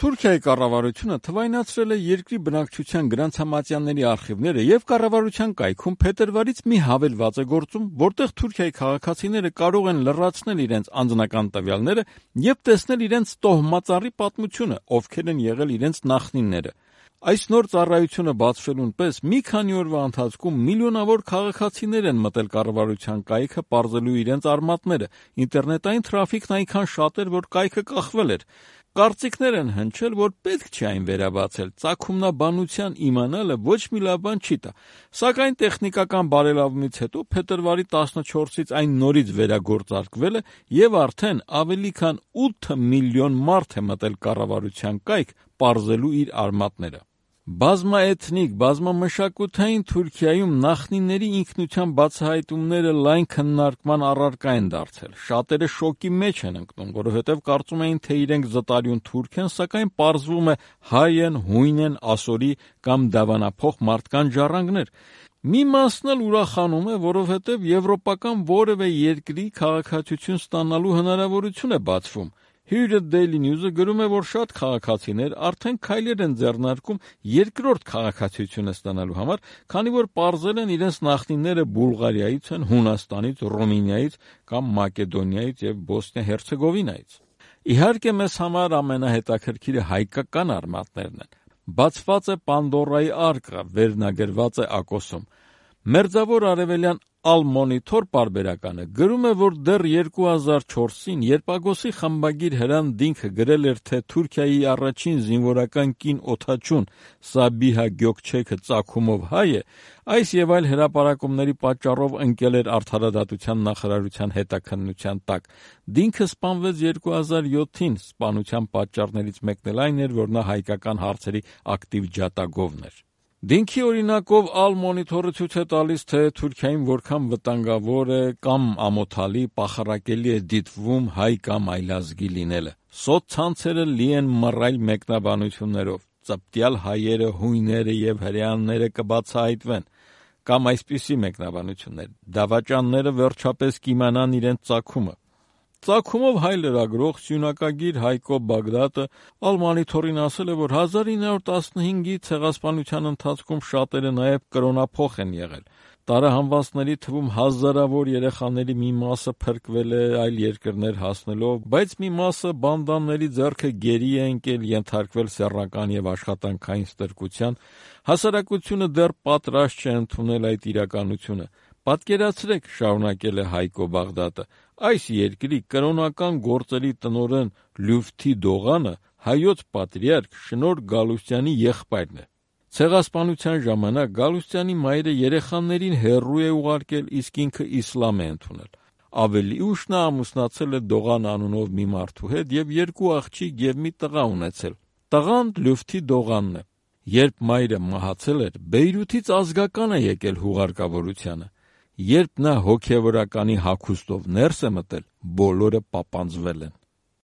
Թուրքիայի կառավարությունը թվայնացրել է երկրի բնակչության գրանցամատյանների արխիվները եւ կառավարության կայքում փետրվարից մի հավելված է գործում, որտեղ Թուրքիայի քաղաքացիները կարող են լրացնել իրենց անձնական տվյալները եւ տեսնել իրենց տոհմածառի պատմությունը, ովքեր են եղել իրենց նախնիները։ Այս նոր ծառայությունը բացվելուն պես մի քանի օրվա ընթացքում միլիոնավոր քաղաքացիներ են մտել կառավարության կայքը պարզելու իրենց արմատները։ Ինտերնետային թրաֆիքն այնքան շատ էր, որ կայքը կախվել էր։ Կարծիքներ են հնչել, որ պետք չէ այն վերաբացել, ծագումնաբանության իմանալը ոչ մի լավ բան չի տա, սակայն տեխնիկական բարելավումից հետո փետրվարի 14-ից այն նորից վերագործարկվել է եւ արդեն ավելի քան 8 միլիոն մարդ է մտել կառավարության կայք պարզելու իր արմատները։ Բազմաէթնիկ, բազմամշակութային Թուրքիայում նախնիների ինքնության բացահայտումները լայն քննարկման առարկա են դարձել։ Շատերը շոկի մեջ են ընկնում, որովհետև կարծում էին, թե իրենք զտարյուն թուրք են, սակայն պարզվում է հայ են, հույն են, ասորի կամ դավանափոխ մարդկան ժառանգներ։ Մի մասն էլ ուրախանում է, որովհետև եվրոպական որևէ երկրի քաղաքացիություն ստանալու հնարավորություն է բացվում։ Here Daily News-ը գրում է, որ շատ քաղաքացիներ արդեն քայլեր են ձեռնարկում երկրորդ քաղաքացիությունը ստանալու համար, քանի որ պարզել են իրենց նախնիները Բուլղարիայից են, Հունաստանից, Ռումինիայից կամ Մակեդոնիայից եւ Բոսնիա-Հերցեգովինայից։ Իհարկե, մեզ համար ամենահետաքրքիրը հայկական արմատներն են։ Բացված է Պանդորայի արկղը, վերնագրված է ակոսում։ Մերձավոր արևելյան Al-Monitor պարբերականը գրում է, որ դեռ 2004-ին, երբ Ագոսի խմբագիր Հրան Դինքը գրել էր, թե Թուրքիայի առաջին զինվորական կին օդաչուն Սաբիհա Գյոքչեքը ծագումով հայ է, այս եւ այլ հրապարակումների պատճառով ընկել էր Արդարադատության նախարարության հետաքննության տակ։ Դինքը սպանվեց 2007-ին, սպանության պատճառներից մեկն էլ այն էր, որ նա հայկական հարցերի ակտիվ ջատագովն էր։ Դինքի օրինակով Al-Monitor-ը ցույց է տալիս, թե Թուրքիայում որքան վտանգավոր է կամ ամոթալի, պախարակելի է դիտվում հայ կամ այլազգի լինելը։ Սոցցանցերը լի են մռայլ մեկնաբանություններով։ Ծպտյալ հայերը, հույները եւ հրեաները կբացահայտվեն։ Կամ այսպիսի մեկնաբանություններ. դավաճանները վերջապես կիմանան իրենց ծագումը։ Ծագումով հայ լրագրող սյունակագիր Հայկո Բագդատը Al-Monitor-ին ասել է, որ 1915-ի ցեղասպանության ընթացքում շատերը նաև կրոնափոխ են եղել։ Տարահանվածների թվում հազարավոր երեխաների մի մասը փրկվել է այլ երկրներ հասնելով, բայց մի մասը բանդաների ձեռքը գերի է ընկել, ենթարկվել սեռական եւ աշխատանքային ստրկության։ Հասարակությունը դեռ պատրաստ չէ ընդունել այդ իրականությունը։ Պատկերացրեք, շարունակել է Հայկո Բաղդատը, այս երկրի կրոնական գործերի տնօրեն Լյուֆթի Դողանը հայոց պատրիարք Շնորհ Գալուստյանի եղբայրն է։ Ցեղասպանության ժամանակ Գալուստյանի մայրը երեխաներին հեռու է ուղարկել, իսկ ինքը իսլամ է ընդունել։ Ավելի ուշ նա ամուսնացել է Դողան անունով մի մարդու հետ եւ 2 աղջիկ եւ մի տղա ունեցել։ Տղան Լյուֆթի Դողանն է։ Երբ մայրը մահացել էր, Բեյրութից ազգական է եկել հուղարկավորությանը։ Երբ նա հոգևորականի հագուստով ներս է մտել, բոլորը պապանձվել են։